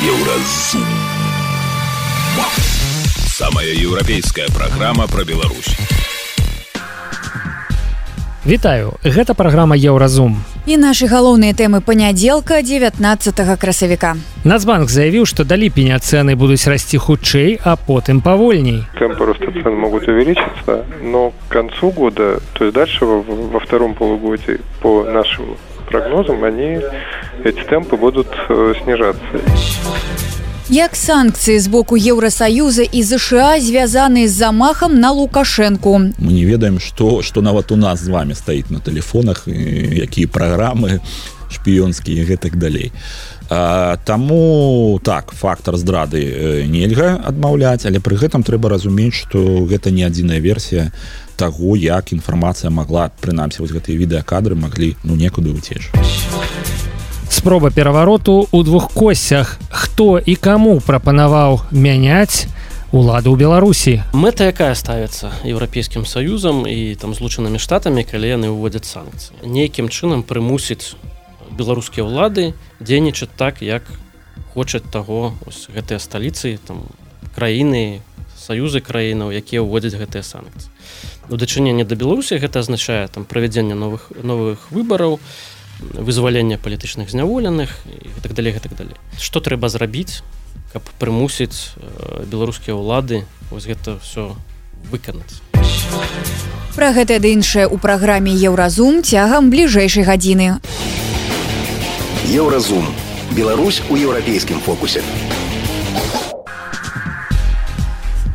Еўразум. Самая еўрапейская праграма пра Беларусь. Вітаю, гэта праграма Еўразум. І нашы галоўныя тэмы панядзелка 19 красавіка. Нацбанк заявіў, што да ліпеня цэны будуць расці хутчэй, а потым павольней. Темпы роста цен могут увеличиться, но к концу года, то есть дальше во втором полугодии, по нашим прогнозам, эти темпы будут снижаться. Як санкцыі з боку Еўрасаюза і ЗША звязаны з замахам на Лукашэнку? Мы не ведаем, што нават у нас з вами стаіць на тэлефонах, якія праграмы шпіёнскія і гэтак далей. Таму так, фактар здрады нельга адмаўляць, але пры гэтым трэба разумець, што гэта не адзіная версія таго, як інфармацыя магла, прынамсі, вось гэтыя відэакадры маглі некуды ўцечь. Спроба перавароту ў двух косцях. Хто і каму прапанаваў мяняць уладу ў Беларусі? Мэта якая ставіцца Еўрапейскім Саюзам і там Злучанымі Штатамі, калі яны ўводзяць санкцыі? Нейкім чынам прымусіць беларускія ўлады дзейнічаць так, як хочуць таго гэтыя сталіцы, там краіны, саюзы краінаў, якія ўводзяць гэтыя санкцыі. У дачыненні да Беларусі гэта азначае там правядзенне новых выбараў, вызвалення палітычных зняволеных і гэтак далей, гэтак далей. Што трэба зрабіць, каб прымусіць беларускія ўлады вось гэта ўсё выканаць? Пра гэта ды іншае ў праграме Еўразум цягам бліжэйшай гадзіны. Еўразум. Беларусь у еўрапейскім фокусе.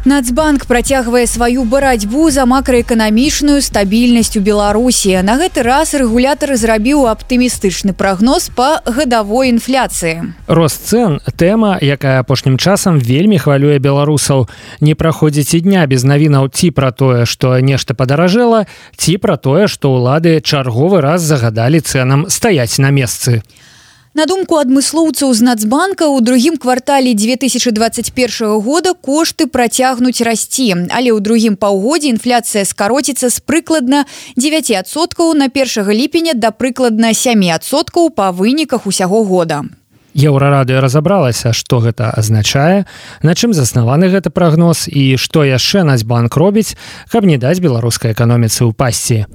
Нацбанк працягвае сваю барацьбу за макраэканамічную стабільнасць у Беларусі. На гэты раз рэгулятар зрабіў аптымістычны прагноз па гадавой інфляцыі. Рост цэн – тэма, якая апошнім часам вельмі хвалюе беларусаў. Не праходзіць і дня без навінаў ці пра тое, што нешта падаражэла, ці пра тое, што ўлады чарговы раз загадалі цэнам стаяць на месцы. На думку адмыслоўцаў з Нацбанка, у другім квартале 2021 года кошты працягнуць расці, але ў другім паўгодзе інфляцыя скароціцца з прыкладна 9% на 1 ліпеня да прыкладна 7% па выніках усяго года. Еўрарадыё разабралася, што гэта азначае, на чым заснаваны гэты прагноз і што яшчэ Нацбанк робіць, каб не даць беларускай эканоміцы ўпасці.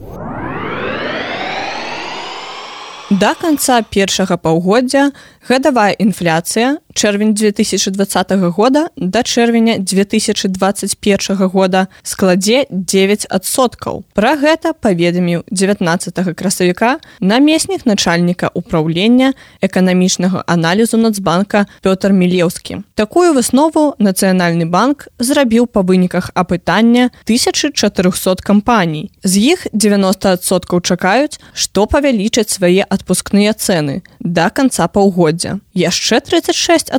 Да канца першага паўгоддзя гадавая інфляцыя чэрвень 2020 года да чэрвеня 2021 года складзе 9%. Пра гэта паведаміў 19 красавіка намеснік начальніка ўпраўлення эканамічнага аналізу Нацбанка Пётр Мілеўскі. Такую выснову Нацыянальны банк зрабіў па выніках апытання 1400 кампаній. З іх 90% чакаюць, што павялічаць свае адпускныя цэны да канца паўгоддзя. Яшчэ 36%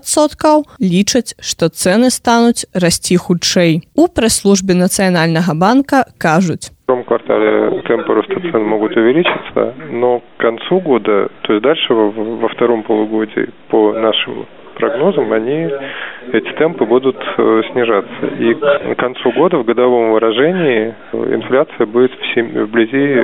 лічаць, што цэны стануць расці хутчэй. У прэс-службе Нацыянальнага банка кажуць: В втором квартале темпы роста цен могут увеличиться, но к концу года, то есть дальше во втором полугодии, по нашим прогнозам, эти темпы будут снижаться. И к концу года в годовом выражении инфляция будет вблизи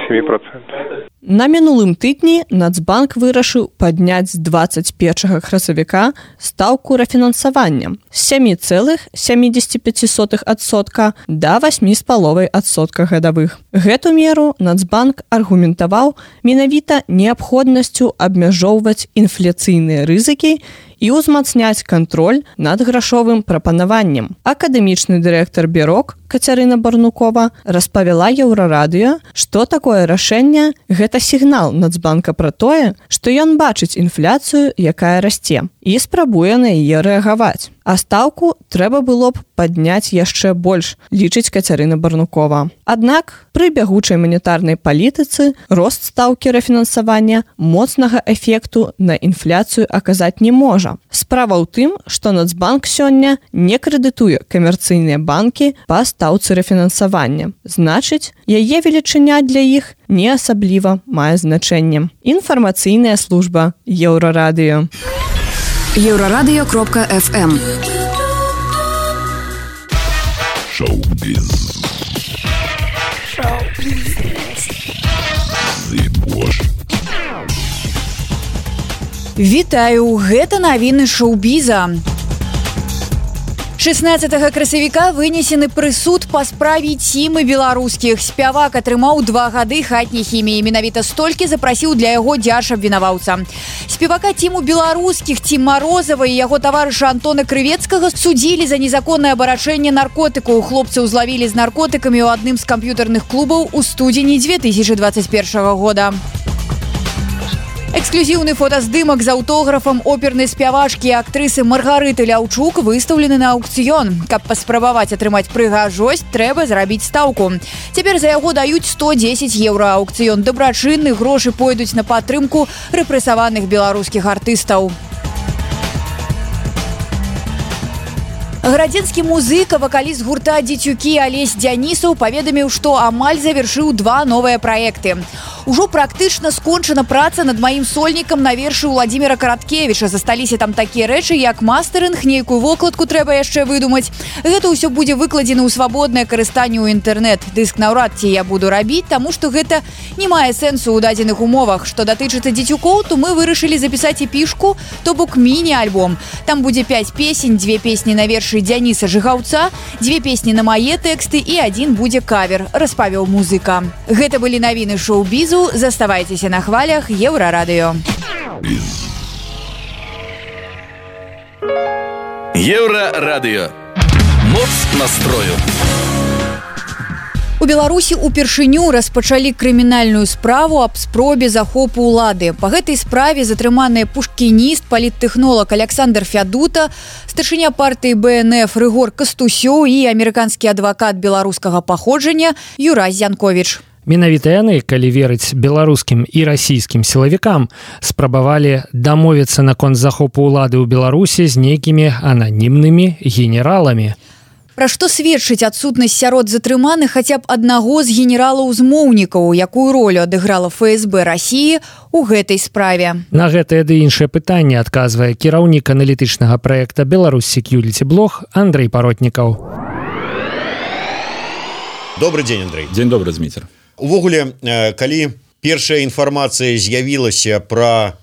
7%. На минулым тыдні Нацбанк вырашыў падняць з 21 красавіка стаўку рэфінансавання з 7,75% да 8,5% гадавых. Гэту меру Нацбанк аргументаваў менавіта неабходнасцю абмяжоўваць інфляцыйныя рызыкі і ўзмацняць кантроль над грашовым прапанаваннем. Акадэмічны дырэктар Бюрок Кацярына Барнукова распавяла Еўрарадыё, што такое рашэнне – гэта сігнал Нацбанка пра тое, што ён бачыць інфляцыю, якая расце, і спрабуе на яе рэагаваць. А стаўку трэба было б падняць яшчэ больш, лічыць Кацярына Барнукова. Аднак пры бягучай манетарнай палітыцы рост стаўкі рэфінансавання моцнага эфекту на інфляцыю аказаць не можа. Справа ў тым, што Нацбанк сёння не крэдытуе камерцыйныя банкі па стаўцы рэфінансавання. Значыць, яе велічыня для іх не асабліва мае значэнне. Інфармацыйная служба Еўрарадыё. Еўрарадыё.фм Шоу-біз. Вітаю, гэта навіны шоу-біза. 16 красавіка вынесены прысуд па справе Цімы беларускіх. Спявак атрымаў 2 гады хатняй хіміі. Менавіта столькі запрасіў для яго дзяржабвінаваўца. Спевака Ціму беларускіх, Цім Марозава і яго таварыша Антона Крывецкага судзілі за незаконнае абарачэнне наркотыкаў. Хлопцаў злавілі з наркотыкамі ў адным з камп'ютарных клубаў у студзені 2021 года. Эксклюзіўны фотаздымак з аўтографам опернай спявачкі і актрысы Маргарыты Ляўчук выстаўлены на аўкцыён. Каб паспрабаваць атрымаць прыгажосць, трэба зрабіць стаўку. Цяпер за яго даюць 110 еўра. Аўкцыён дабрачынны, грошы пойдуць на падтрымку рэпрэсаваных беларускіх артыстаў. Градзенскі музыка, вакаліст гурта «Дзецюкі» Алесь Дзянісаў паведаміў, што амаль завяршыў 2 новыя праекты. Ужо практычна скончана праца над маім сольнікам на вершы Владзіміра Караткевіча. Засталіся там такія рэчы, як мастэрынг, нейкую вокладку трэба яшчэ выдумаць. Гэта ўсё будзе выкладзена ў свабоднае карыстанне ў інтэрнэт. Дыск наўрад ці я буду рабіць, таму што гэта не мае сэнсу ў дадзеных умовах. Што датычыцца дзецюкоў, то мы вырашылі запісаць эпішку, то бок міні-альбом. Там будзе 5 песень, 2 песні на вершы Дзяніса Жыгаўца, 2 песні на мае тэксты і 1 будзе кавер, распавёў музыка. Гэта былі навіны шоу-бізу. Заставайцеся на хвалях Еўрарадыё. Еўрарадыё. Моц настрою. У Беларусі упершыню распачалі крымінальную справу аб спробе захопу ўлады. Па гэтай справе затрыманыя пушкініст, паліттэхнолог Александр Фядута, старшыня партыі БНФ Рыгор Кастусёў і амерыканскі адвакат беларускага паходжання Юрай Зянковіч. Менавіта яны, калі верыць беларускім і расійскім сілавікам, спрабавалі дамовіцца наконт захопу ўлады ў Беларусі з нейкімі ананімнымі генераламі. Пра што сведчыць адсутнасць сярод затрыманых хаця б аднаго з генералаў-змоўнікаў, якую ролю адыграла ФСБ Расіі ў гэтай справе? На гэтае ды іншае пытанне адказвае кіраўнік аналітычнага праекта «Беларусь Security Blog» Андрэй Паротнікаў. Добрый дзень, Андрэй. Дзень добры, Зміцер. Увогуле, калі першая інфармацыя з'явілася пра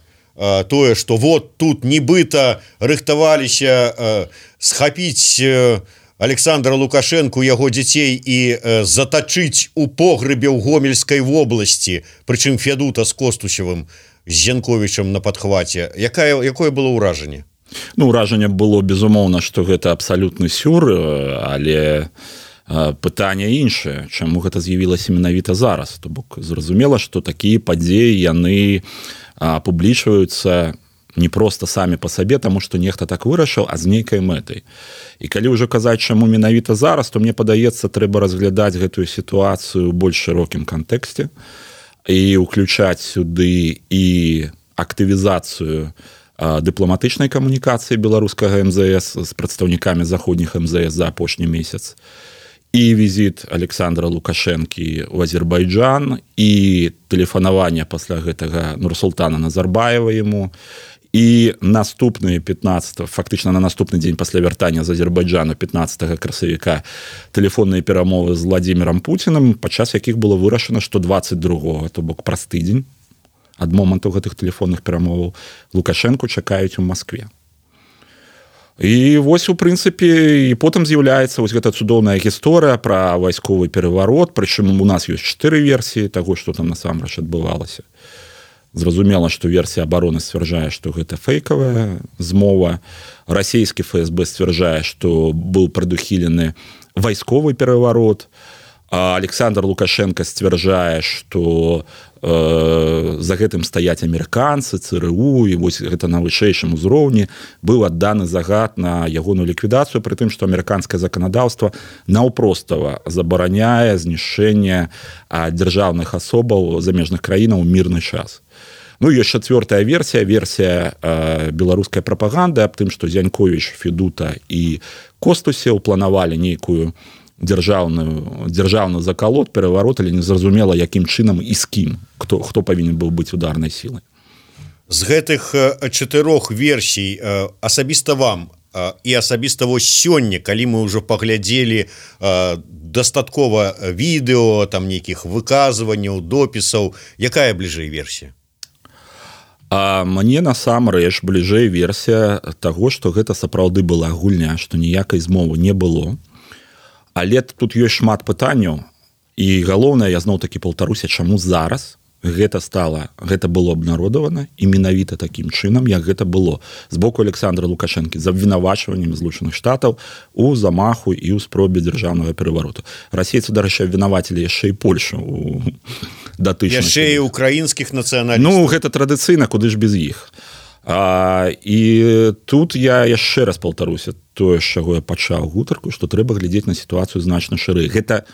тое, што вот тут нібыта рыхтаваліся схапіць Александра Лукашенку, яго дзяцей і затачыць у погребе ў Гомельскай вобласці, прычым Фядута з Костусевым, з Зянковічам на падхваце. Якое было ўражанне? Ну, ўражанне было, безумоўна, што гэта абсалютны сюр, але пытанне іншае, чаму гэта з'явілася менавіта зараз. То бок зразумела, што такія падзеі яны публічваюцца не проста самі па сабе, таму што нехта так вырашыў, а з нейкай мэтай. І калі ўжо казаць, чаму менавіта зараз, то мне падаецца, трэба разглядаць гэтую сітуацыю ў больш шырокім кантэксце і ўключаць сюды і актывізацыю дыпламатычнай камунікацыі беларускага МЗС з прадстаўнікамі заходніх МЗС за апошні месяц, і візіт Александра Лукашэнкі ў Азербайджан, і тэлефанаванне пасля гэтага Нурсултана Назарбаева яму, і наступны 15, фактычна на наступны дзень пасля вяртання з Азербайджану 15 красавіка тэлефонныя перамовы з Владзімірам Пуцінам, падчас якіх было вырашана, што 22-го, то бок праз тыдзень ад моманту гэтых тэлефонных перамоваў Лукашэнку чакаюць у Маскве. І вось, у прынцыпе, і потым з'яўляецца вось гэта цудоўная гісторыя пра вайсковы пераварот, прычым у нас ёсць 4 версіі таго, што там насамрэч адбывалася. Зразумела, што версія абароны сцвярджае, што гэта фэйкавая змова. Расійскі ФСБ сцвярджае, што быў прадухілены вайсковы пераварот. Александр Лукашенко сцвярджае, што за гэтым стаяць амерыканцы, ЦРУ, і вось гэта на вышэйшым узроўні быў адданы загад на ягоную ліквідацыю, пры тым, што амерыканскае заканадаўства наўпростава забараняе знішчэнне дзяржаўных асобаў замежных краінаў у мірны час. Ну, ёсць 4-я версія беларускай прапаганды аб тым, што Зянковіч, Федута і Костусеў планавалі нейкую дзяржаўны закалот, пераварот, але незразумела, якім чынам і з кім, хто павінен быў быць ударнай сілай. З гэтых 4 версій асабіста вам і асабіста вось сёння, калі мы ўжо паглядзелі дастаткова відэо, там нейкіх выказванняў, допісаў, якая бліжэй версія? А мне насамрэч бліжэй версія таго, што гэта сапраўды была гульня, што ніякай змовы не было. Але тут ёсць шмат пытанняў, і галоўнае, я зноў-такі паўтаруся, чаму зараз гэта было абнародавана і менавіта такім чынам, як гэта было з боку Александра Лукашэнкі з абвінавачваннем Злучаных Штатаў у замаху і ў спробе дзяржаўнага перавароту. Расейцы, дарэчы, абвінавацілі яшчэ і Польшу у датычных. Яшчэ і украінскіх нацыяналістаў. Ну, гэта традыцыйна, куды ж без іх. І тут я яшчэ раз паўтаруся тое, з чаго я пачаў гутарку, што трэба глядзець на сітуацыю значна шырэй. Гэта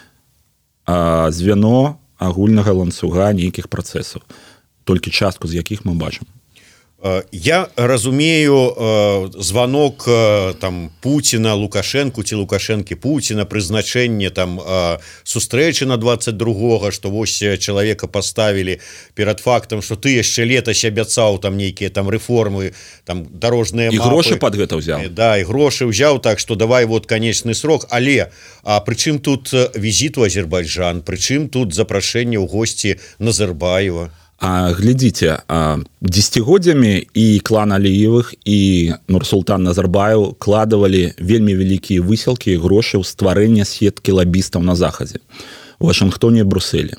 звяно агульнага ланцуга нейкіх працэсаў, толькі частку з якіх мы бачым. Я разумею звонок там Путина Лукашенку ці Лукашэнкі Путина, прызначэнне там сустрэчы на 22-го, што вось чалавека поставілі перад фактам, што ты яшчэ летась абяцаў там нейкія там рэформы, там дарожныя мапы. І грошы пад гэта ўзяў. Да, і грошы ўзяў, так што давай вот канечны срок, але прычым тут візіт у Азербайджан, прычым тут запрашэнне ў госці Назарбаева. Глядзіце, дзесяцігоддзямі і клан Аліевых і Нурсултан Назарбаев кладавалі вельмі вялікія высілкі і грошы ў стварэнне сеткі лабістаў на захадзе, у Вашынгтоне і Брусэлі.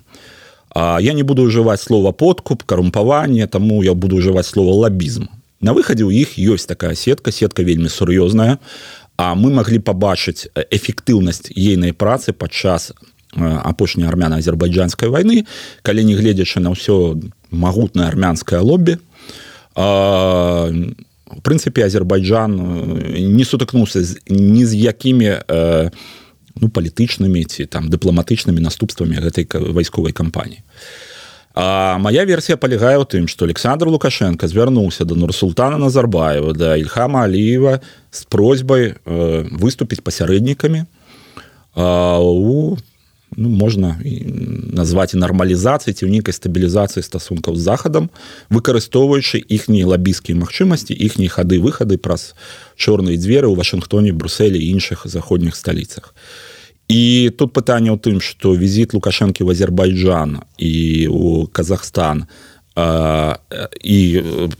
Я не буду ўжываць слова подкуп, карумпаванне, таму я буду ўжываць слова лабізм. На выхадзе ў іх ёсць такая сетка вельмі сур'ёзная, а мы маглі пабачыць эфектыўнасць ейнай працы падчас апошняй армяна-азербайджанскай вайны, калі не гледзячы на ўсё магутнае армянскае лоббі. В прынцыпе, Азербайджан не сутыкнуўся ні з якімі палітычнымі ці там дыпламатычнымі наступствамі гэтай вайсковай кампаніі. Моя версія палягае ў тым, што Александр Лукашенко звярнуўся да Нурсултана Назарбаева, да Ільхама Аліева з просьбай выступіць пасярэднікамі у можна назваць і нармалізацыі ці ў нейкай стабілізацыі стасункаў з захадам, выкарыстоўваючы іхнія лабістскія магчымасці, іхнія хады-выхады праз чорныя дзверы ў Вашынгтоне, Брусэлі і іншых заходніх сталіцах. І тут пытанне ў тым, што візіт Лукашэнкі ў Азербайджан і ў Казахстан і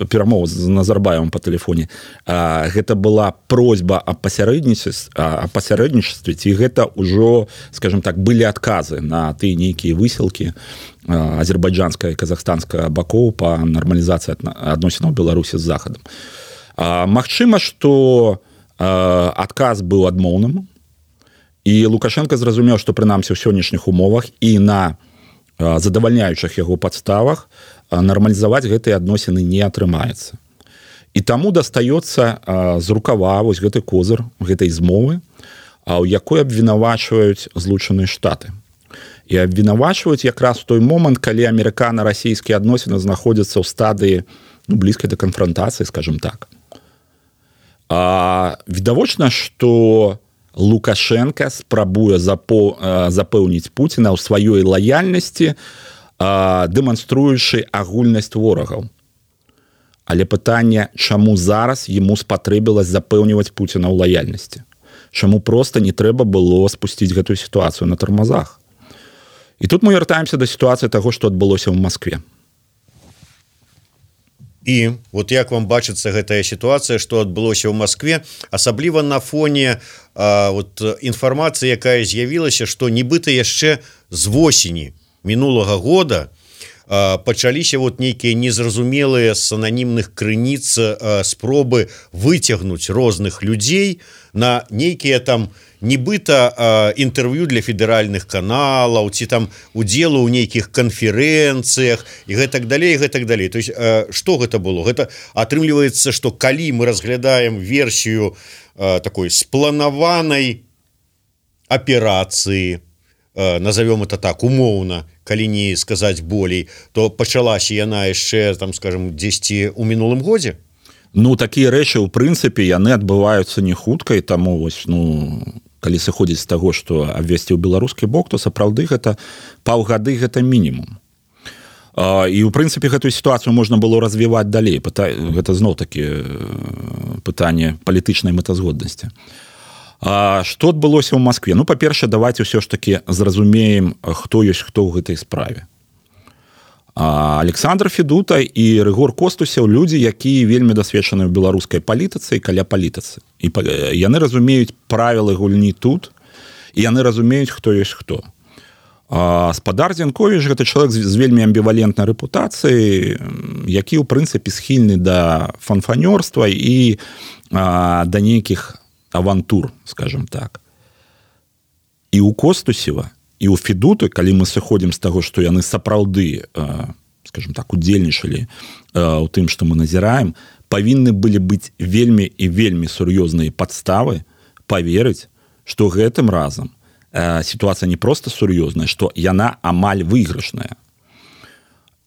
перамова з Назарбаевым па тэлефоне, гэта была просьба аб пасярэднічестве, ці гэта ўжо, скажем так, былі адказы на тыя нейкія высілкі азербайджанская і казахстанская бакоў па нармалізацыі адносінаў Беларусі з захадам. Магчыма, што адказ быў адмоўным, і Лукашенко зразумеў, што прынамсі ў сённяшніх умовах і на задавальняючых яго падставах нармалізаваць гэтыя адносіны не атрымаецца. І таму дастаецца з рукава вось гэты козыр гэтай змовы, у якой абвінавачваюць Злучаныя Штаты. І абвінавачваюць якраз у той момант, калі амерыкана-расійскія адносіны знаходзяцца ў стадыі блізкай да канфрантацыі, скажем так. Відавочна, што Лукашенко спрабуе запэўніць Пуціна ў сваёй лаяльнасці, дэманструючы агульнасць ворагаў. Але пытанне, чаму зараз яму спатрэбілася запэўніваць Пуціна ў лаяльнасці? Чаму проста не трэба было спусціць гэтую сітуацыю на тармазах? І тут мы вяртаемся да сітуацыі таго, што адбылося ў Маскве. І вот як вам бачыцца гэтая сітуацыя, што адбылося ў Маскве, асабліва на фоне інфармацыі, якая з'явілася, што нібыта яшчэ з восені мінулага года пачаліся нейкія незразумелыя з ананімных крыніц спробы выцягнуць розных людзей на нейкія там нібыта інтэрв'ю для федэральных каналаў ці там удзелу ў нейкіх канферэнцыях і гэтак далей, гэтак далей. То есть што гэта было? Гэта атрымліваецца, што калі мы разглядаем версію такой спланаванай аперацыі, назовем это так, умоўна, калі не сказаць болей, то пачалася яна яшчэ, там, скажем, дзесьці ў мінулым годзе? Такія рэчы, у прынцыпе, яны адбываюцца не хутка, і таму вось, калі сыходзіць з таго, што абвесціў беларускі бок, то сапраўды гэта паўгады, гэта мінімум. І, у прынцыпе, гэтую сітуацыю можна было развіваць далей. Гэта зноў-такі пытанне палітычнай мэтазгоднасці. Што адбылося ў Маскве? Па-першае, давайте ўсё ж такі зразумеем, хто ёсць хто ў гэтай справе. Александр Федута і Рыгор Костусеў людзі, якія вельмі дасведчаны ў беларускай палітыцы і каля палітыцы. І яны разумеюць правілы гульні тут, і яны разумеюць, хто ёсць хто. Спадар Зянковіч гэта чалавек з вельмі амбівалентнай рэпутацыяй, які ў прынцыпе схільны да фанфанёрства і да нейкіх авантур, скажем так. І ў Костусева, і ў Федуты, калі мы сыходзім з таго, што яны сапраўды, скажем так, удзельнічалі ў тым, што мы назіраем, павінны былі быць вельмі і вельмі сур'ёзныя падставы паверыць, што гэтым разам сітуацыя не проста сур'ёзная, што яна амаль выйгрышная.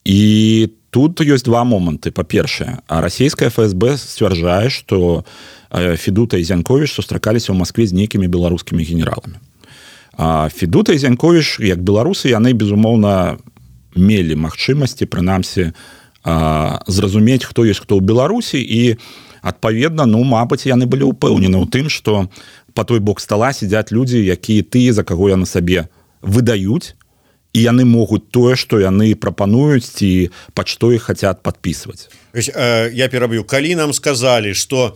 І тут ёсць два моманты. Па-першае, расійская ФСБ сцвярджае, што Федута і Зянковіч сустракаліся ў Маскве з нейкімі беларускімі генераламі. Федута і Зянковіч, як беларусы, яны, безумоўна, мелі магчымасці, прынамсі, зразумець, хто ёсць хто ў Беларусі, і, адпаведна, мабыць, яны былі ўпэўнены ў тым, што па той бок стала сядзяць людзі, якія тыя, за каго яны сабе выдаюць, і яны могуць тое, што яны прапануюць, ці пад што іх хацяць падпісваць. Я пераб'ю. Калі нам сказалі, што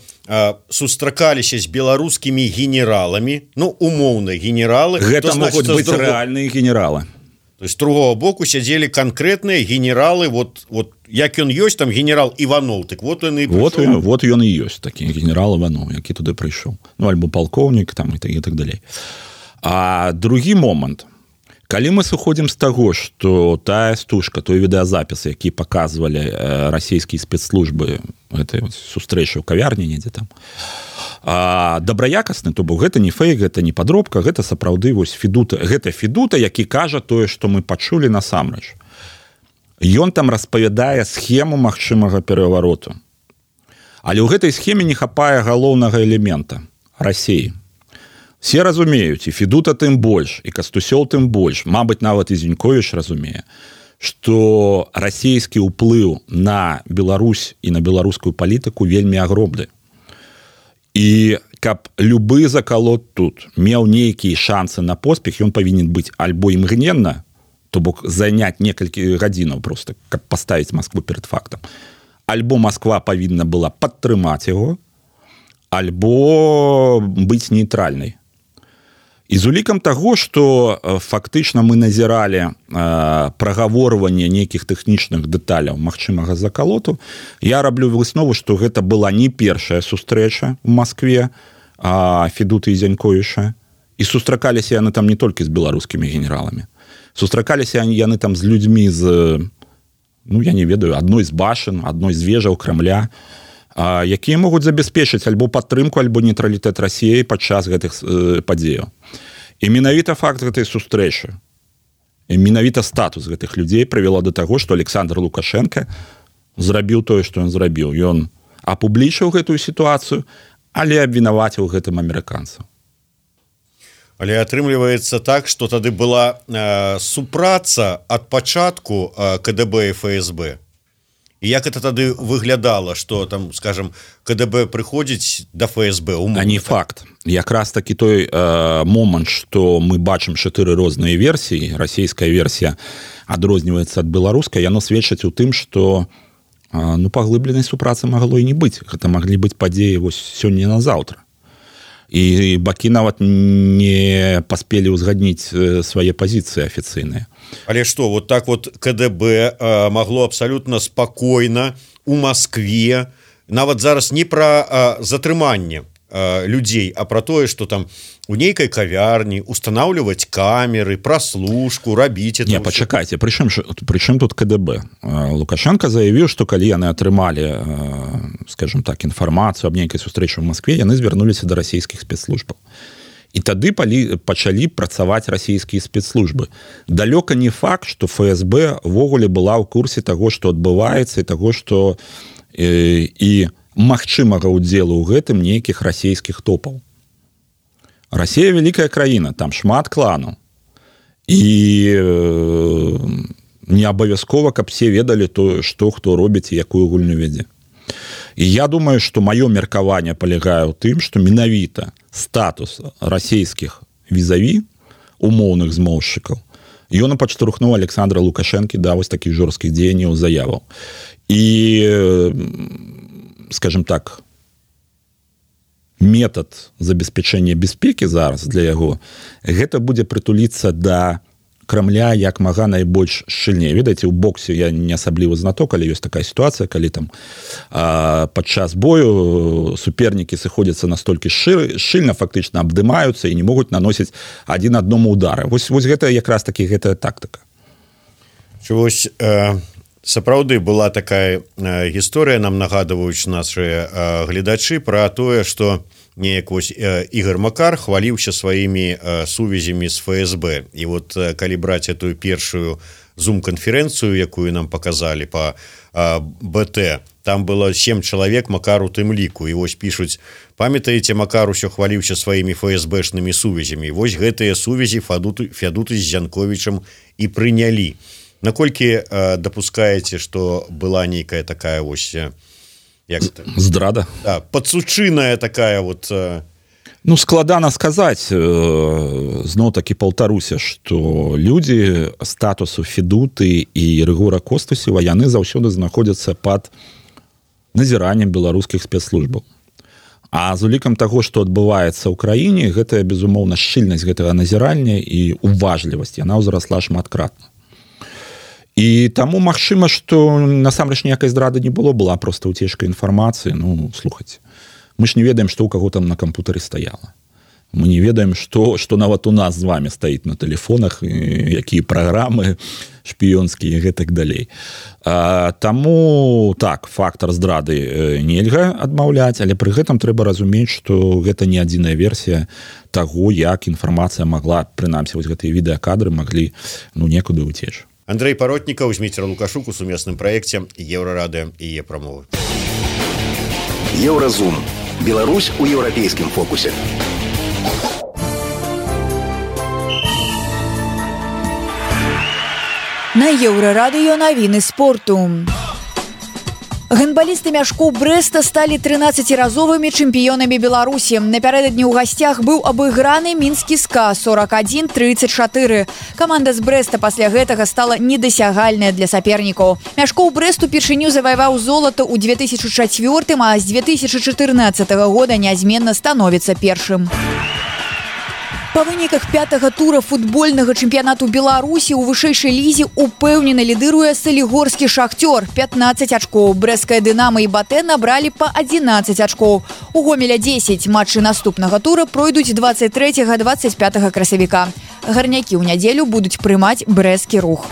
сустракаліся з беларускімі генераламі, умоўна генералы, гэта могуць быць рэальныя генералы. То есть з другого боку сядзелі канкрэтныя генералы, вот як ён ёсць, там генерал Іванов, так вот ён і прыйшоў. Вот ён і ёсць, такі генерал Іванов, які туды прыйшоў. Альбо палкоўнік, там, і так далей. А другі момант. Калі мы сыходзім з таго, што тая стужка, той відэазапіс, які паказвалі расійскія спецслужбы гэтай сустрэчы ў кавярні недзе там, добраякасны, то бок гэта не фейк, гэта не падробка, гэта сапраўды Федута. Гэта Федута, які кажа тое, што мы пачулі насамрэч. Ён там распавядае схему магчымага перавароту. Але ў гэтай схеме не хапае галоўнага элемента – Расіі. Все разумеюць, і Федута тым больш, і Кастусёў тым больш, мабыць, нават і Зіньковіч разумее, што расійскі ўплыў на Беларусь і на беларускую палітыку вельмі агромны. І каб любы закалот тут меў нейкія шансы на поспех, ён павінен быць альбо імгненна, то бок заняць некалькі гадзінаў проста, каб паставіць Маскву перад фактам. Альбо Масква павінна была падтрымаць яго, альбо быць нейтральнай. І з улікам таго, што фактычна мы назіралі прагаворванне нейкіх тэхнічных дэталяў магчымага закалоту, я раблю выснову, што гэта была не першая сустрэча ў Маскве Федуты і Зяньковіча. І сустракаліся яны там не толькі з беларускімі генераламі. Сустракаліся яны там з людзьмі з, я не ведаю, адной з башын, адной з вежаў Крамля, якія могуць забяспечыць альбо падтрымку, альбо нейтралітэт Расіі падчас гэтых падзеяў. І менавіта факт гэтай сустрэчы, і менавіта статус гэтых людзей прывяло да таго, што Александр Лукашенко зрабіў тое, што ён зрабіў. Ён апублічыў гэтую сітуацыю, але абвінаваціў гэтым амерыканцаў. Але атрымліваецца так, што тады была супраца ад пачатку КДБ і ФСБ. І як это тады выглядала, што там, скажем, КДБ прыходзіць да ФСБ? А не факт. Якраз такі той момант, што мы бачым 4 розныя версіі, расійская версія адрозніваецца ад беларускай, яно сведчыць у тым, што паглыбленай супрацы магло і не быць. Гэта маглі быць падзеі сёння на заўтра. І бакі нават не паспелі ўзгадніць свае пазіцыі афіцыйныя. Але што, вот так вот КДБ магло абсалютна спакойна у Маскве, нават зараз не пра затрыманне людзей, а пра тое, што там у нейкай кавярні устанаўліваць камеры, праслушку, рабіць это. Не, пачакайце, прычым тут КДБ? Лукашенко заявіў, што калі яны атрымалі, скажем так, інфармацыю аб нейкай сустрэчы ў Маскве, яны звярнуліся да расійскіх спецслужбаў. І тады пачалі працаваць расійскія спецслужбы. Далёка не факт, што ФСБ ввогуле была ў курсе таго, што адбываецца, і таго, што і магчымага ўдзелу ў гэтым нейкіх расійскіх топаў. Расія вялікая краіна, там шмат кланаў. І не абавязкова, каб все ведалі то, што хто робіць і якую гульню вядзе. І я думаю, што маё меркаванне палягае ў тым, што менавіта статус расійскіх візаві, умоўных змоўшчыкаў, ён падштурхнуў Александра Лукашэнкі да вось такіх жорсткіх дзеянняў заяваў. І, скажем так, метод забеспячэння бяспекі зараз для яго, гэта будзе прытуліцца да Крамля як мага найбольш шчыльней. Ведаеце, у боксе я не асаблівы знаток, але ёсць такая сітуацыя, калі там падчас бою супернікі сыходзяцца настолькі шчыльна, фактычна абдымаюцца і не могуць наносіць адзін аднаму удары. Вось гэта якраз такі гэтая тактыка. Вось сапраўды была такая гісторыя, нам нагадваюць нашы гледачы пра тое, што неяк вось Ігор Макар хваліўся сваімі сувязямі з ФСБ. І вот калі браць этую першую зум-канферэнцыю, якую нам паказалі па БТ, там было 7 чалавек, Макар у тым ліку. І вось пішуць: памятаеце, Макар усё хваліўся сваімі ФСБшнымі сувязямі. Вось гэтыя сувязі Фядуты з Янковічам і прынялі. Наколькі дапускаеце, што была нейкая такая вось здрада, падсучыная такая вот, ну, складана сказаць. Зноў-такі паўтаруся, што людзі статусу Федуты і Рыгора Костусева, яны заўсёды знаходзяцца пад назіраннем беларускіх спецслужбаў. А з улікам таго, што адбываецца ў краіне, гэтая, безумоўна, шчыльнасць гэтага назірання і уважлівасць, яна ўзрасла шматкратна. І таму магчыма, што насамрэч ніякай здрады не было, была проста уцечка інфармацыі. Ну, слухайце, мы ж не ведаем, што ў каго там на кампутары стаяла. Мы не ведаем, што нават у нас з вами стаіць на тэлефонах, якія праграмы шпіёнскія і гэтак далей. Таму, так, фактар здрады нельга адмаўляць, але пры гэтым трэба разумець, што гэта не адзіная версія таго, як інфармацыя магла, прынамсі, вось гэтыя відэакадры маглі, ну, некуды ўцечь. Андрей Паротнікаў, Зміцер Лукашук у сумесным праекце Еўрарадыё і Е-прамовы. Еўразум. Беларусь у еўрапейскім фокусе. На Еўрарадыё навіны спорту. Гандбалісты Мяшкоў Брэста сталі 13-разовымі чэмпіёнамі Беларусі. Напярэдадні ў гасцях быў абыграны мінскі СКА 41-34. Каманда з Брэста пасля гэтага стала недасягальная для сапернікаў. Мяшкоў Брэст упершыню заваяваў золата ў 2004, а з 2014 года нязменна становіцца першым. Па выніках 5-го тура футбольнага чэмпіянату Беларусі ў вышэйшай лізе упэўнена лідыруе Салігорскі Шахцёр 15 ачкоў. Брэсцкая Дынамо і Батэ набралі па 11 ачкоў. У Гомеля 10. Матчы наступнага тура пройдуць 23-25 красавіка. Гарнякі ў нядзелю будуць прымаць Брэсцкі Рух.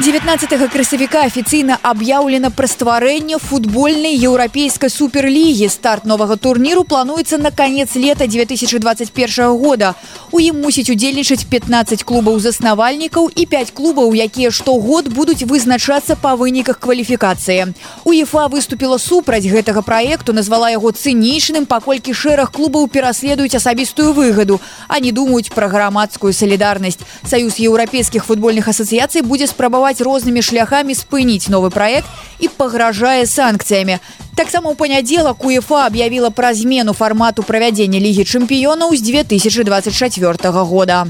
19 красавіка афіцыйна аб'яўлена пра стварэнне футбольнай еўрапейскай суперлігі. Старт новага турніру плануецца на канец лета 2021 года. У ім мусіць удзельнічаць 15 клубаў-заснавальнікаў і 5 клубаў, якія штогод будуць вызначацца па выніках кваліфікацыі. УЕФА выступіла супраць гэтага праекту, назвала яго цынічным, паколькі шэраг клубаў пераследуюць асабістую выгаду, а не думаюць пра грамадскую салідарнасць. Саюз еўрапейскіх футбольных асацыяцый будзе спрабаваць рознымі шляхамі спыніць новы праект і пагражае санкцыямі. Таксама ў панядзелак УЕФА аб'явіла пра змену фармату правядзення Лігі чэмпіёнаў з 2024 года.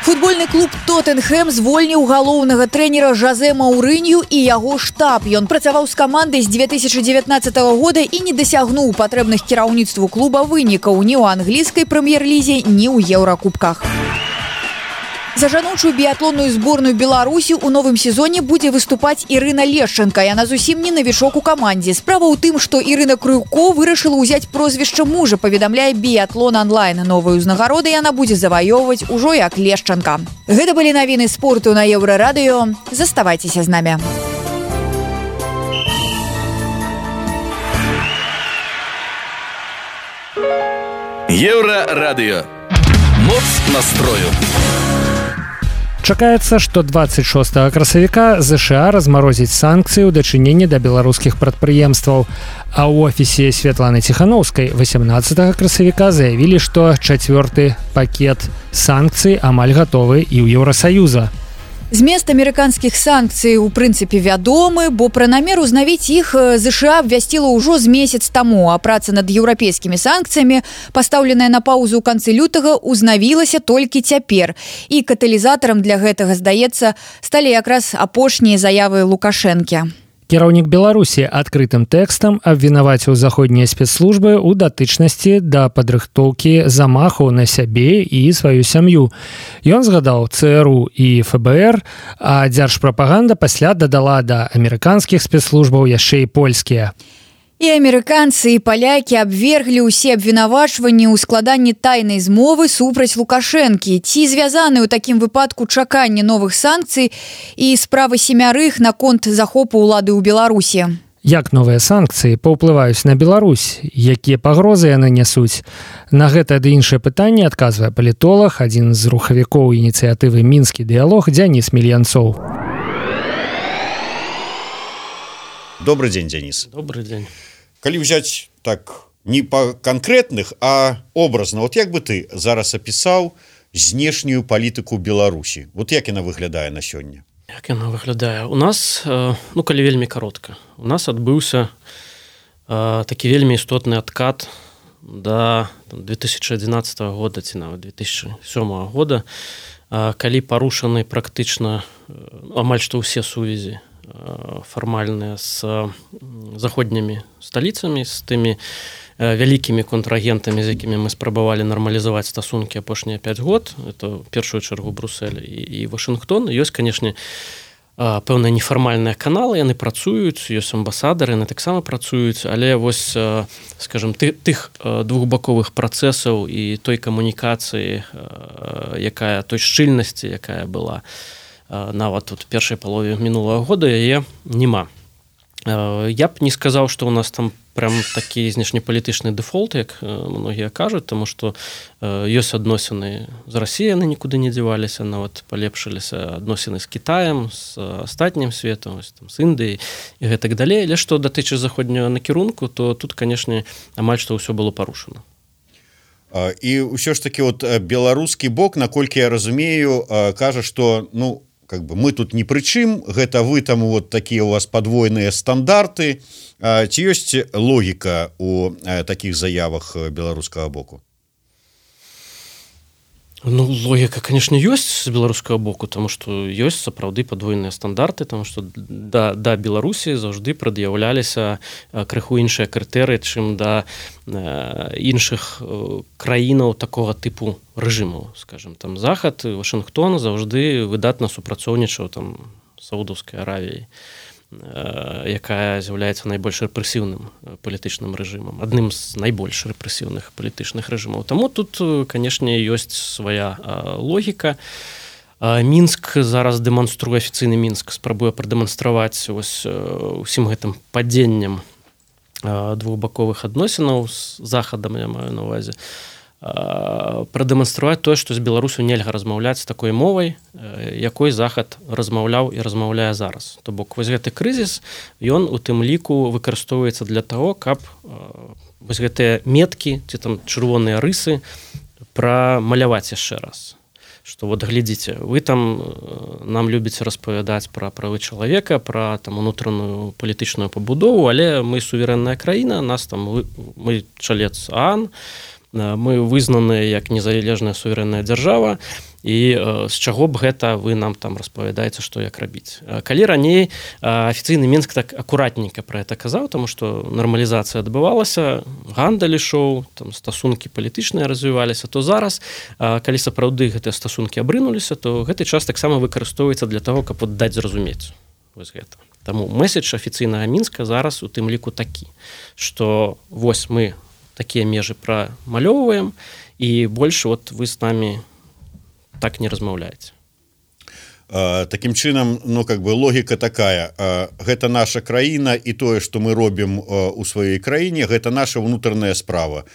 Футбольны клуб «Тоттенхэм» звольніў галоўнага трэнера Жозе Маурынью і яго штаб. Ён працаваў з камандай з 2019 года і не дасягнуў патрэбных кіраўніцтву клуба вынікаў ні ў англійскай прэм'ер-лізе, ні ў еўракубках. За жаночую біятлонную зборную Беларусі ў новым сезоне будзе выступаць Ірына Лешченка. Яна зусім не навічок у камандзе. Справа ў тым, што Ірына Крыўко вырашыла ўзяць прозвішча мужа, паведамляе Біятлон онлайн. Новыя ўзнагароды яна будзе заваёўваць ужо як Лешченка. Гэта былі навіны спорту на Еўрарадыё. Заставайцеся з намі. Еўрарадыё. Моц настрою. Чакаецца, што 26 красавіка ЗША размарозіць санкцыі ў дачыненні да беларускіх прадпрыемстваў. А ў офісе Святланы Ціханаўскай 18 красавіка заявілі, што 4-ты пакет санкцый амаль гатовы і ў Еўрасаюза. Змест амерыканскіх санкцый у прынцыпе вядомы, бо пра намер узнавіць іх ЗША абвясціла ўжо з месяц таму, а праца над еўрапейскімі санкцыямі, пастаўленая на паўзу ў канцы лютага, узнавілася толькі цяпер. І каталізатарам для гэтага, здаецца, сталі якраз апошнія заявы Лукашэнкі. Кіраўнік Беларусі адкрытым тэкстам абвінаваціў заходнія спецслужбы ў датычнасці да падрыхтоўкі замаху на сябе і сваю сям'ю. Ён згадаў ЦРУ і ФБР, а дзяржпрапаганда пасля дадала да амерыканскіх спецслужбаў яшчэ і польскія. І амерыканцы і палякі абверглі ўсе абвінавачванні ў складанні тайнай змовы супраць Лукашэнкі. Ці звязаны ў такім выпадку чаканне новых санкцый і справы семярых наконт захопу ўлады ў Беларусі? Як новыя санкцыі паўплываюць на Беларусь? Якія пагрозы яны нясуць? На гэта ды іншае пытанне адказвае палітолог, адзін з рухавікоў ініцыятывы «Мінскі дыялог» Дзяніс Мільянцоў. Добрый дзень, Дзяніс. Добрый дзень. Калі ўзяць так не па канкрэтных, а образна, вот як бы ты зараз апісаў знешнюю палітыку Беларусі? Вот як яна выглядае на сёння? Як яна выглядае? У нас, калі вельмі каротка, у нас адбыўся такі вельмі істотны адкат да 2011 года ці нават 2007 года, калі парушаны практычна амаль што ўсе сувязі фармальныя з заходнімі сталіцамі, з тымі вялікімі контрагентамі, з якімі мы спрабавалі нармалізаваць стасункі апошнія 5 год. Это ў першую чаргу Брусэль і Вашынгтон. Ёсць, канешне, пэўныя нефармальныя каналы, яны працуюць, ёсць амбасадары, яны таксама працуюць, але вось, скажем, тых двухбаковых працэсаў і той камунікацыі, той шчыльнасці, якая была нават тут першай палове мінулага года, яе няма. Я б не сказаў, што ў нас там прям такі знешнепалітычны дэфолт, як многія кажуць, таму што ёсць адносіны з Расіяй, яны нікуды не дзяваліся, нават палепшыліся адносіны з Кітаем, з астатнім светам, з Індыяй і гэтак далей. Але што датычыць заходняга накірунку, то тут, канешне, амаль што ўсё было парушана. І ўсё ж такі вот беларускі бок, наколькі я разумею, кажа, што мы тут ні пры чым, гэта вы там вот такія у вас падвойныя стандарты. Ці ёсць логіка у такіх заявах беларускага боку? Логіка, конечно, ёсць з беларускага боку, таму што ёсць сапраўды падвойныя стандарты, таму што да Беларусі заўжды прад'яўляліся крыху іншыя крытэрыі, чым да іншых краінаў такога тыпу рэжымаў, скажем, там Захад, Вашынгтон заўжды выдатна супрацоўнічаў там Саудаўскай Аравіяй, якая з'яўляецца найбольш рэпрэсіўным палітычным рэжымам, адным з найбольш рэпрэсіўных палітычных рэжымаў. Таму тут, канешне, ёсць свая логіка. Мінск зараз дэманструе, афіцыйны Мінск спрабуе прадэманстраваць усім гэтым падзеннем двухбаковых адносінаў з Захадам, я маю на ўвазе, прадэманстраваць тое, што з Беларусю нельга размаўляць такой мовай, якой Захад размаўляў і размаўляе зараз. То бок вось гэты крызіс, ён у тым ліку выкарыстоўваецца для таго, каб вось гэтыя меткі ці там чырвоныя рысы прамаляваць яшчэ раз. Што вот глядзіце, вы там нам любіце распавядаць пра правы чалавека, пра там унутраную палітычную пабудову, але мы суверэнная краіна, нас там мы чалец ААН, мы вызнаныя як незалежная суверэнная дзяржава, і з чаго б гэта вы нам там распавядаеце, што як рабіць. Калі раней афіцыйны Мінск так акуратненька пра гэта казаў, таму што нармалізацыя адбывалася, гандаль ішоў, там стасункі палітычныя развіваліся, то зараз, калі сапраўды гэтыя стасункі абрынуліся, то гэты час таксама выкарыстоўваецца для таго, каб даць зразумець вось гэта. Таму месседж афіцыйнага Мінска зараз у тым ліку такі, што вось мы такія межы прамалёўваем, і больш вот вы з намі так не размаўляеце. Такім чынам, логіка такая, гэта наша краіна, і тое, што мы робім у сваёй краіне, гэта наша ўнутраная справа.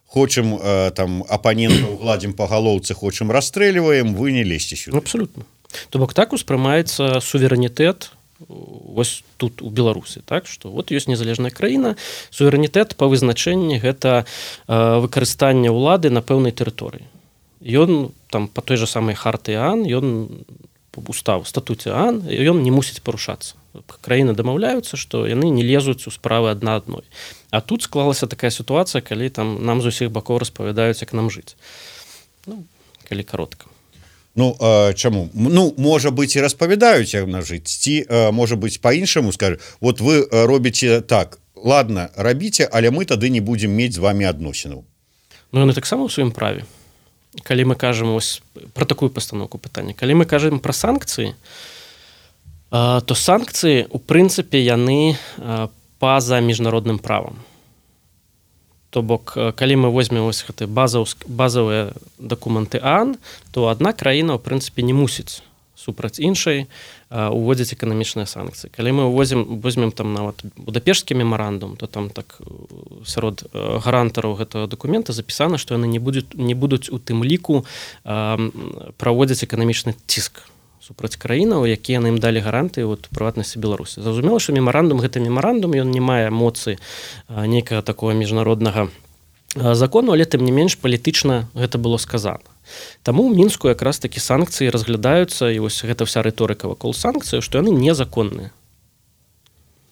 Хочам там апанентаў гладзім па галоўцы, хочам расстрэльваем, вы не лезьце сюды. Абсалютна. То бок так успрымаецца суверэнітэт вось тут у Беларусі, так, што вот ёсць незалежная краіна, суверэнітэт па вызначэнні гэта выкарыстанне ўлады на пэўнай тэрыторыі. Ён там па той жа самай харты ААН, ён устав статуце ААН, ён не мусіць парушацца. Краіны дамаўляюцца, што яны не лезуць у справы адна адной. А тут склалася такая сітуацыя, калі там нам з усіх бакоў распавядаюць, як нам жыць. Ну, калі каротка. Ну, чаму? Ну, можа быць, і распавядаюць, як нам жыць. Ці, можа быць, па-іншаму скажу, вот вы робіце так, ладно, рабіце, але мы тады не будзем мець з вами адносінаў. Ну, яны таксама ў сваім праве. Калі мы кажам ось пра такую пастаноўку пытання, калі мы кажам пра санкцыі, то санкцыі, у прынцыпе, яны па-за міжнародным правам. То бок, калі мы возьмем ось гэтыя базавыя дакументы ААН, то адна краіна, ў прынцыпе, не мусіць супраць іншай уводзіць эканамічныя санкцыі. Калі мы возьмем там нават Будапешскі мемарандум, то там так сярод гарантараў гэтага дакумента запісана, што яны не будуць у тым ліку праводзіць эканамічны ціск супраць краінаў, якія яны ім далі гарантыі, у прыватнасці Беларусі. Зразумела, што мемарандум, гэта мемарандум, ён не мае моцы нейкага такого міжнароднага закону, але тым не менш палітычна гэта было сказана. Таму ў Мінску якраз такі санкцыі разглядаюцца, і вось гэта вся рыторыка вакол санкцыяў, што яны незаконныя.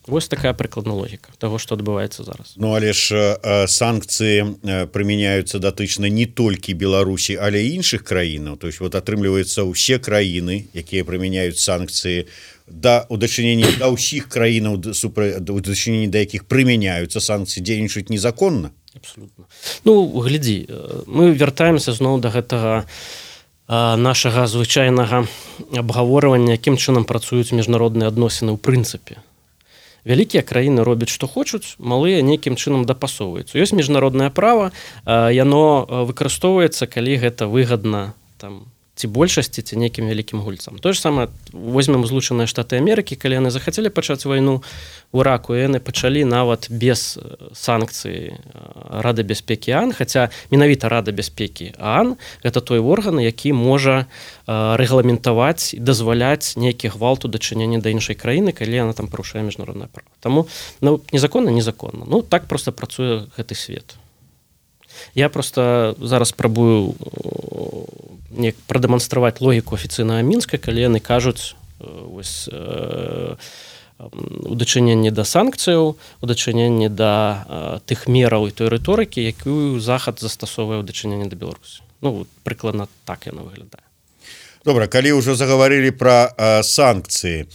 Вось такая прыкладная логіка таго, што адбываецца зараз. Ну, але ж санкцыі прымяняюцца датычна не толькі Беларусі, але і іншых краінаў. То есть вот атрымліваецца ўсе краіны, якія прымяняюць санкцыі у дачыненні да ўсіх краінаў, у дачыненні да якіх прымяняюцца санкцыі, дзейнічаюць незаконна. Абсолютно. Ну, глядзі, мы вяртаемся зноў да гэтага нашага звычайнага абгаворвання, якім чынам працуюць міжнародныя адносіны ў прынцыпе. Вялікія краіны робяць, што хочуць, малыя нейкім чынам дапасоўваюцца. Ёсць міжнароднае права, яно выкарыстоўваецца, калі гэта выгадна там ці большасці, ці нейкім вялікім гульцам. Тое ж самае возьмем Злучаныя Штаты Амерыкі, калі яны захацелі пачаць вайну ў Іраку, і яны пачалі нават без санкцый Рады бяспекі ААН, хаця менавіта Рада бяспекі ААН гэта той орган, які можа рэгламентаваць і дазваляць нейкі гвалт у дачыненні да іншай краіны, калі яна там парушае міжнароднае права. Таму незаконна. Ну, так проста працуе гэты свет. Я просто зараз спрабую прадэманстраваць логіку афіцыйнага Мінска, калі яны кажуць у дачыненні да санкцыяў, у дачыненні да тых мераў і той рыторыкі, якую Захад застасоўвае ў дачыненні да Беларусі. Ну, прыкладна так яно выглядае. Добра, калі ўжо загаварылі пра санкцыі,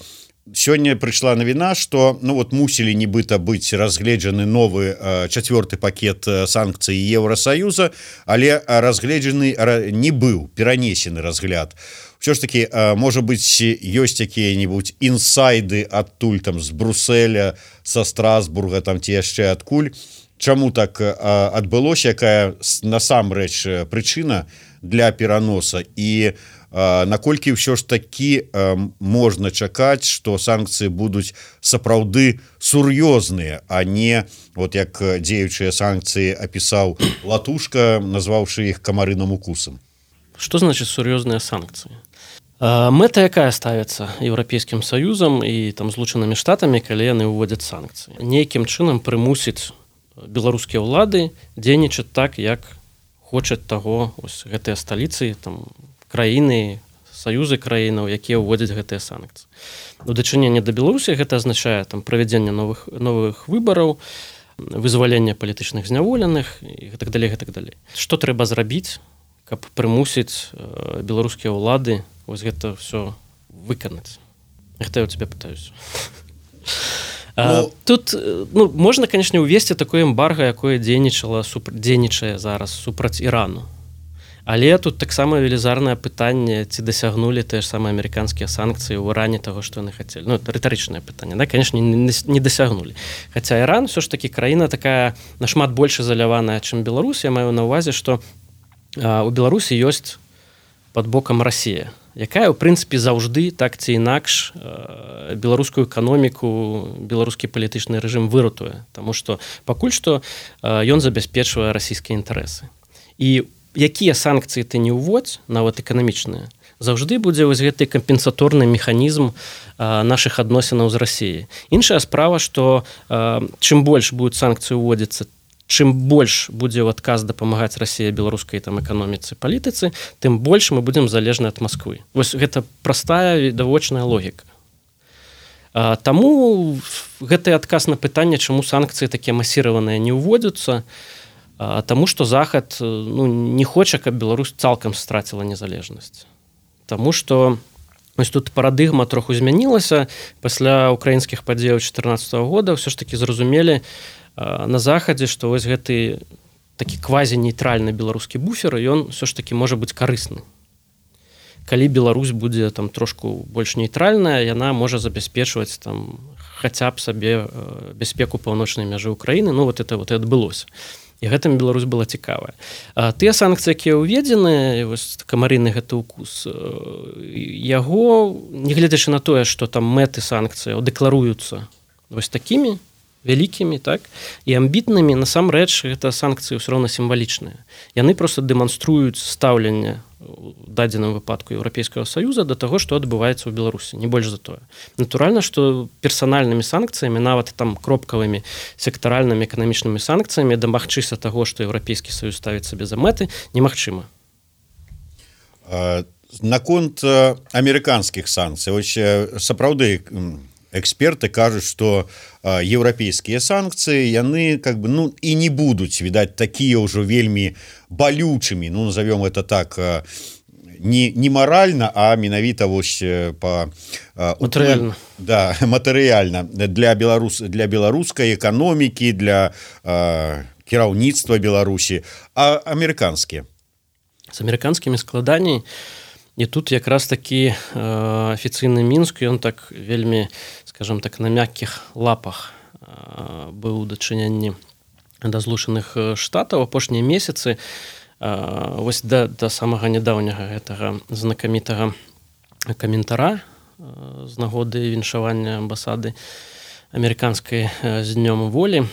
сёння прыйшла навіна, што мусілі нібыта быць разгледжаны новы 4-й пакет санкцый Еўрасаюза, але разгледжаны не быў, перанесены разгляд. Усё ж такі, можа быць, ёсць якія-небудзь інсайды адтуль там з Брусэля, са Страсбурга, там ці яшчэ адкуль. Чаму так адбылося, якая насамрэч прычына для пераноса, і наколькі ўсё ж такі можна чакаць, што санкцыі будуць сапраўды сур'ёзныя, а не вот як дзеючыя санкцыі апісаў Латушка, назваўшы іх камарыным укусам. Што значыць сур'ёзныя санкцыі? Мэта якая ставіцца Еўрапейскім Саюзам і там Злучанымі Штатамі, калі яны ўводзяць санкцыі? Нейкім чынам прымусіць беларускія ўлады дзейнічаць так, як хочуць таго гэтыя сталіцы, там краіны, саюзы краінаў, якія ўводзяць гэтыя санкцыі. У дачыненні да Беларусі гэта азначае там правядзенне новых выбараў, вызваленне палітычных зняволеных і гэтак далей. Што трэба зрабіць, каб прымусіць беларускія ўлады вось гэта ўсё выканаць? Гэта я ў цябе пытаюся. Тут можна, канешне, увесці такое эмбарга, якое дзейнічае зараз супраць Ірану. Але тут таксама велізарнае пытанне, ці дасягнулі тыя ж самыя амерыканскія санкцыі ў Іране таго, што яны хацелі. Ну, рытарычнае пытанне, да, канешне, не дасягнулі. Хаця Іран ўсё ж такі краіна такая нашмат больш изаляваная, чым Беларусь. Я маю на ўвазе, што у Беларусі ёсць пад бокам Расія, якая, ў прынцыпе, заўжды так ці інакш беларускую эканоміку, беларускі палітычны рэжым выратуе, таму што пакуль што ён забяспечвае расійскія інтарэсы. І якія санкцыі ты не ўводзь, нават эканамічныя, заўжды будзе вось гэты кампенсаторны механізм нашых адносінаў з Расіяй. Іншая справа, што чым больш будуць санкцыі ўводзіцца, чым больш будзе ў адказ дапамагаць Расія беларускай там эканоміцы, палітыцы, тым больш мы будзем залежны ад Масквы. Вось гэта простая відавочная логіка. Таму гэты адказ на пытанне, чаму санкцыі такія масіраваныя не ўводзяцца, таму што Захад не хоча, каб Беларусь цалкам страціла незалежнасць. Таму што ось тут парадыгма троху змянілася пасля украінскіх падзеяў 2014 года, ўсё ж такі зразумелі на Захадзе, што вось гэты такі квазі-нейтральны беларускі буфер, ён ўсё ж такі можа быць карысны. Калі Беларусь будзе там трошку больш нейтральная, яна можа забяспечваць там хаця б сабе бяспеку паўночнай мяжы Украіны. Ну вот это вот і адбылося. І гэтым Беларусь была цікавая. Тыя санкцыі, якія ўведзены, вось камарыны гэты укус, яго, нягледзячы на тое, што там мэты санкцыяў дэкларуюцца вось такімі вялікімі, так, і амбітнымі, насамрэч гэта санкцыі ўсё роўна сімвалічныя. Яны проста дэманструюць стаўленне у дадзеным выпадку Еўрапейскага Саюза да таго, што адбываецца ў Беларусі, не больш за тое. Натуральна, што персанальнымі санкцыямі, нават там кропкавымі сектаральнымі эканамічнымі санкцыямі дамагчыся таго, што Еўрапейскі Саюз ставіць сабе за мэты, немагчыма. Наконт амерыканскіх санкцый, вось сапраўды эксперты кажуць, што еўрапейскія санкцыі яны как бы і не будуць, відаць, такія ўжо вельмі балючымі, назовём это так, не маральна, а менавіта вось па матэрыяльна. Да, матэрыяльна для беларускай эканомікі, для кіраўніцтва Беларусі, а амерыканскія. З амерыканскімі складаней. І тут якраз такі афіцыйны Мінск, ён так вельмі, скажем так, на мяккіх лапах быў у дачыненні да Злучаных Штатаў. Апошнія месяцы, вось да самага нядаўняга гэтага знакамітага каментара з нагоды віншавання амбасады амерыканскай з днём волі,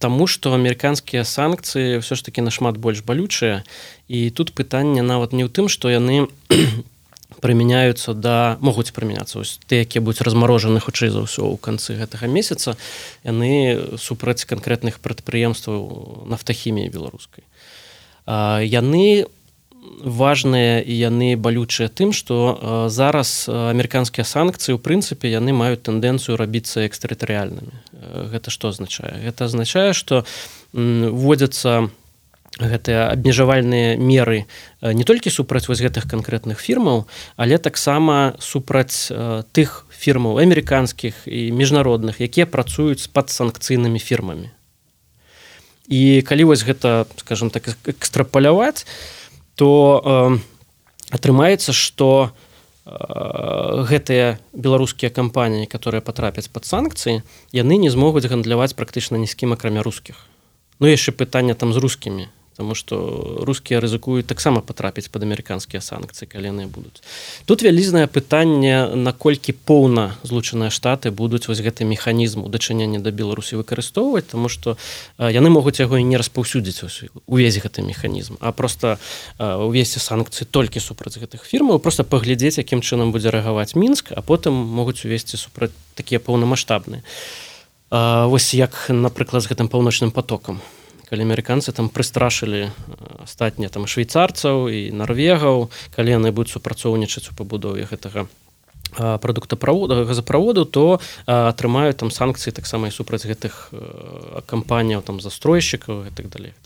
таму што амерыканскія санкцыі ўсё ж такі нашмат больш балючыя, і тут пытанне нават не ў тым, што яны прымяняюцца могуць прымяняцца. Ось тыя, якія будуць размарожаны хутчэй за ўсё ў канцы гэтага месяца, яны супраць канкрэтных прадпрыемстваў нафтахіміі беларускай. Яны важныя і яны балючыя тым, што зараз амерыканскія санкцыі, у прынцыпе, яны маюць тэндэнцыю рабіцца экстэрытарыяльнымі. Гэта што азначае? Гэта азначае, што вводзяцца гэтыя абмежавальныя меры не толькі супраць вось гэтых канкрэтных фірмаў, але таксама супраць тых фірмаў амерыканскіх і міжнародных, якія працуюць з падсанкцыйнымі фірмамі. І калі вось гэта, скажем так, экстрапаляваць, то атрымаецца, што гэтыя беларускія кампаніі, которые патрапяць пад санкцыі, яны не змогуць гандляваць практычна ні з кім, акрамя рускіх. Яшчэ пытанне там з рускімі, таму што рускія рызыкуюць таксама патрапіць пад амерыканскія санкцыі, калі яны будуць. Тут вялізнае пытанне, наколькі поўна Злучаныя Штаты будуць вось гэты механізм у дачыненні да Беларусі выкарыстоўваць, таму што яны могуць яго і не распаўсюдзіць увесь гэты механізм, а проста увесці санкцыі толькі супраць гэтых фірмаў, проста паглядзець, якім чынам будзе рэагаваць Мінск, а потым могуць увесці супраць такія паўнамаштабныя. Вось як, напрыклад, з гэтым паўночным потокам. Калі амерыканцы там прыстрашылі астатнія там швейцарцаў і нарвегаў, калі яны будуць супрацоўнічаць у пабудове гэтага газаправоду, то атрымаюць там санкцыі таксама і супраць гэтых кампаніяў, там застройшчыкаў і так далей.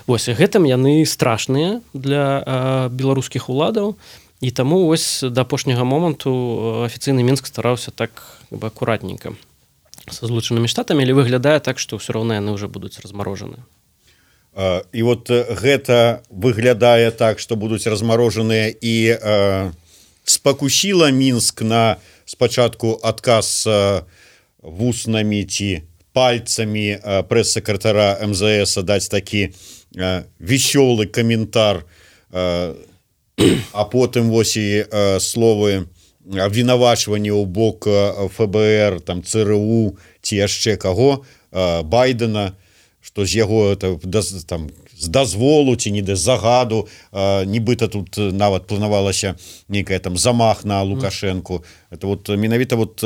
Вось, гэтым яны страшныя для беларускіх уладаў, і таму вось да апошняга моманту афіцыйны Мінск стараўся так акуратненька са Злучанымі Штатамі, але выглядае так, што ўсё роўна яны ўжо будуць размарожаны. І вот гэта выглядае так, што будуць размарожаныя, і спакусіла Мінск на спачатку адказ вуснамі ці пальцамі прэс-сакратара МЗС даць такі весёлы каментар, а потым вось і словы абвінавачванне ў бок ФБР, там ЦРУ ці яшчэ каго, Байдена, што з яго там з дазволу ці не да загаду, нібыта тут нават планавалася нейкая там замах на Лукашэнку. Это вот менавіта вот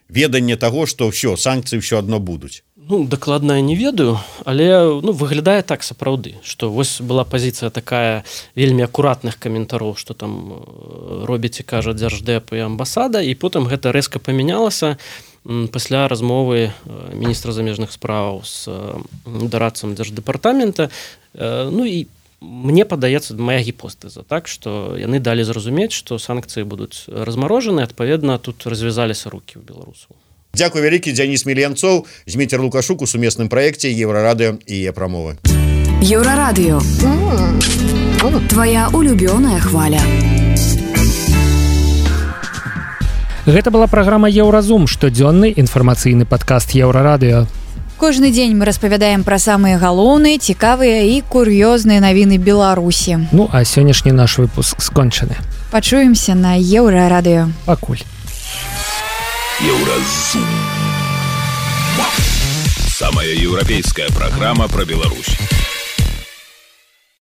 веданне таго, што ўсё, санкцыі ўсё адно будуць. Дакладна не ведаю, але выглядае так сапраўды, што вось была пазіцыя такая вельмі акуратных каментароў, што там робіць і кажа дзярждэп і амбасада, і потым гэта рэзка памянялася пасля размовы міністра замежных справаў з дарадцам дзярждэпартамента. І мне падаецца, мая гіпотэза, так, што яны далі зразумець, што санкцыі будуць размарожаны, адпаведна, тут развязаліся рукі ў беларусаў. Дзякуй вялікі, Дзяніс Мільянцоў, Зміцер Лукашук у сумесным праекце Еўрарадыё і Е-прамовы. Еўрарадыё. Твоя улюбёная хваля. Гэта была праграма Еўразум, штодзённы інфармацыйны падкаст Еўрарадыё. Кожны дзень мы распавядаем пра самыя галоўныя, цікавыя і кур'ёзныя навіны Беларусі. А сённяшні наш выпуск скончаны. Пачуемся на Еўрарадыё. Пакуль. Еўразум. Самая еўрапейская программа про Беларусь.